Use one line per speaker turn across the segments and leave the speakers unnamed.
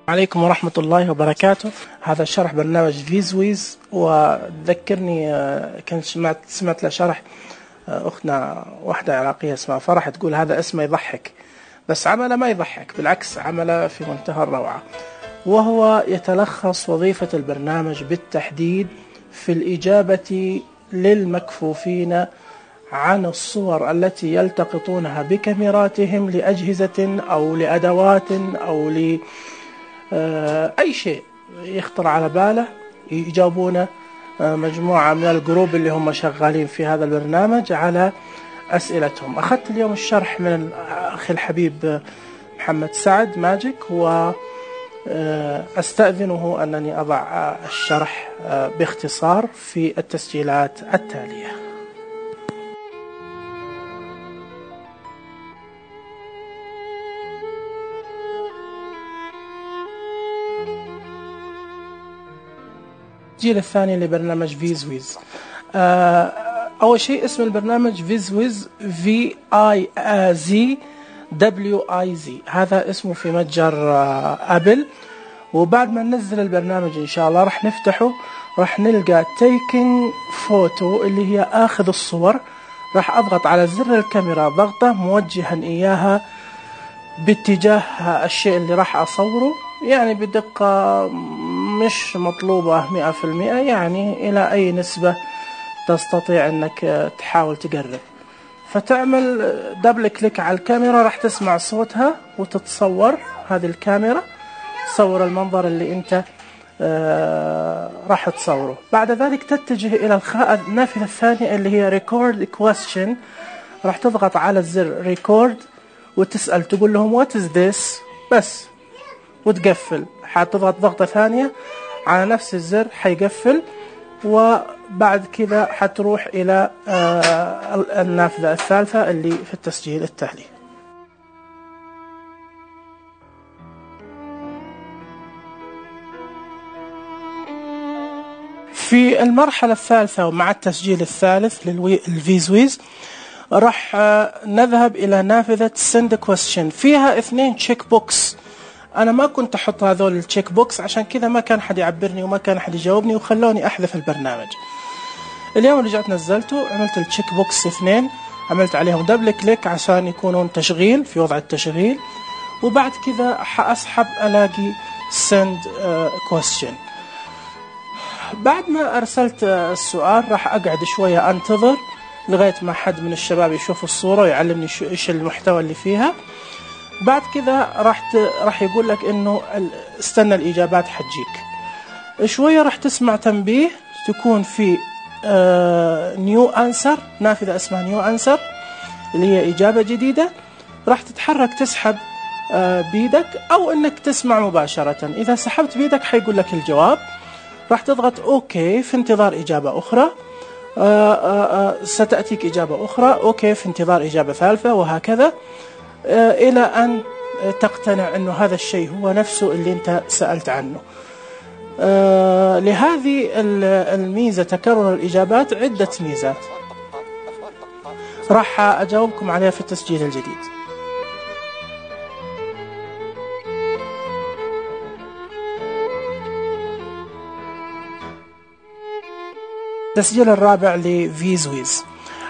عليكم ورحمة الله وبركاته. هذا شرح برنامج فيزويز، وذكرني كنت سمعت له شرح أختنا واحدة عراقية اسمها فرح تقول هذا اسمه يضحك، بس عمله ما يضحك، بالعكس عمله في منتهى الروعة. وهو يتلخص وظيفة البرنامج بالتحديد في الإجابة للمكفوفين عن الصور التي يلتقطونها بكاميراتهم لأجهزة أو لأدوات أو أي شيء يخطر على باله، يجاوبونه مجموعة من الجروب اللي هم شغالين في هذا البرنامج على أسئلتهم. أخذت اليوم الشرح من الأخ الحبيب محمد سعد ماجيك، وأستأذنه أنني أضع الشرح باختصار في التسجيلات التالية. التسجيل الثاني لبرنامج فيزويز. أول شيء اسم البرنامج فيزويز VIZWIZ، هذا اسمه في متجر أبل. وبعد ما ننزل البرنامج إن شاء الله راح نفتحه، راح نلقى taking photo اللي هي آخذ الصور. راح أضغط على زر الكاميرا ضغطة موجها إياها باتجاه الشيء اللي راح أصوره، يعني بدقة مش مطلوبة 100%، يعني إلى أي نسبة تستطيع أنك تحاول تقرب. فتعمل دبل كليك على الكاميرا، راح تسمع صوتها وتتصور هذه الكاميرا، تصور المنظر اللي أنت راح تصوره. بعد ذلك تتجه إلى النافذة الثانية اللي هي record question. راح تضغط على الزر record وتسأل، تقول لهم what is this بس، وتقفل. حتضغط ضغطة ثانية على نفس الزر حيقفل، وبعد كذا حتروح إلى النافذة الثالثة اللي في التسجيل التالي. في المرحلة الثالثة ومع التسجيل الثالث للفيزويز راح نذهب إلى نافذة send question. فيها 2 تشيك بوكس. أنا ما كنت أحط هذول التشيك بوكس، عشان كذا ما كان حد يعبرني وما كان حد يجاوبني، وخلوني أحذف البرنامج. اليوم رجعت نزلته، عملت التشيك بوكس 2، عملت عليهم دبل كليك عشان يكونون تشغيل في وضع التشغيل، وبعد كذا حأسحب ألاقي send question. بعد ما أرسلت السؤال راح أقعد شوية أنتظر لغاية ما حد من الشباب يشوف الصورة ويعلمني إيش المحتوى اللي فيها. بعد كذا راح يقول لك إنه استنى الإجابات حتجيك شوية. راح تسمع تنبيه تكون في نيو أنسر، نافذة اسمها نيو أنسر اللي هي إجابة جديدة. راح تتحرك تسحب بيدك أو إنك تسمع مباشرة. إذا سحبت بيدك حيقول لك الجواب، راح تضغط أوكي في انتظار إجابة أخرى. ستأتيك إجابة أخرى، أوكي في انتظار إجابة ثالثة، وهكذا إلى أن تقتنع أنه هذا الشيء هو نفسه اللي أنت سألت عنه. لهذه الميزة تكرر الإجابات عدة ميزات راح أجاوبكم عليها في التسجيل الجديد. التسجيل الرابع لفيزويز.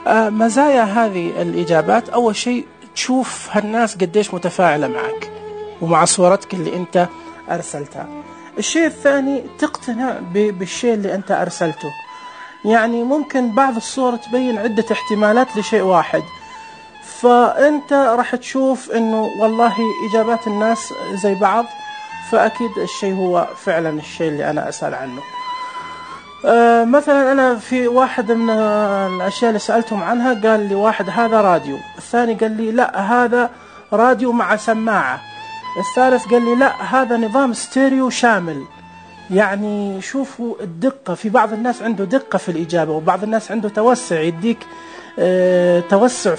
مزايا هذه الإجابات، أول شيء تشوف هالناس قديش متفاعلة معك ومع صورتك اللي أنت أرسلتها. الشيء الثاني تقتنع بالشيء اللي أنت أرسلته، يعني ممكن بعض الصور تبين عدة احتمالات لشيء واحد، فأنت راح تشوف أنه والله إجابات الناس زي بعض، فأكيد الشيء هو فعلا الشيء اللي أنا أسأل عنه. مثلا أنا في واحد من الأشياء اللي سألتهم عنها قال لي واحد هذا راديو، الثاني قال لي لا هذا راديو مع سماعة، الثالث قال لي لا هذا نظام ستيريو شامل. يعني شوفوا الدقة، في بعض الناس عنده دقة في الإجابة، وبعض الناس عنده توسع، يديك توسع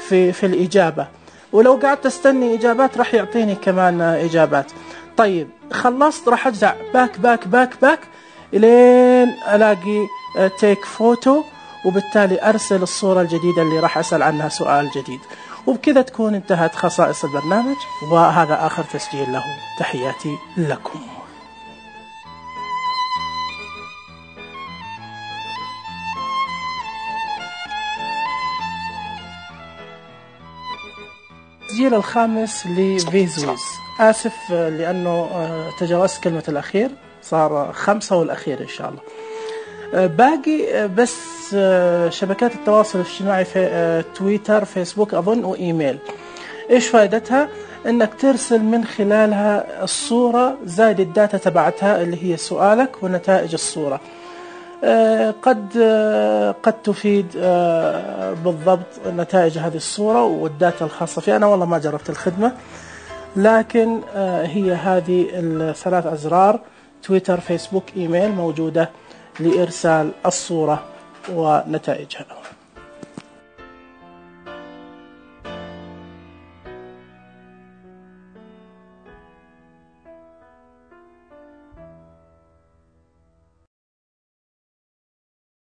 في الإجابة، ولو قعدت تستني إجابات راح يعطيني كمان إجابات. طيب خلصت راح أجزع باك باك باك باك إلين ألاقي تيك فوتو، وبالتالي أرسل الصورة الجديدة اللي راح أسأل عنها سؤال جديد. وبكذا تكون انتهت خصائص البرنامج، وهذا آخر تسجيل له. تحياتي لكم. التسجيل الخامس لفيزويز. آسف لأنه تجاوزت كلمة الأخير، صار 5 والأخير إن شاء الله. باقي بس شبكات التواصل الاجتماعي في تويتر، فيسبوك أظن، وإيميل. إيش فائدتها؟ إنك ترسل من خلالها الصورة زائد الداتا تبعتها اللي هي سؤالك ونتائج الصورة. قد تفيد بالضبط نتائج هذه الصورة والداتا الخاصة فيها. أنا والله ما جربت الخدمة، لكن هي هذه الثلاث أزرار: تويتر، فيسبوك، إيميل، موجودة لإرسال الصورة ونتائجها.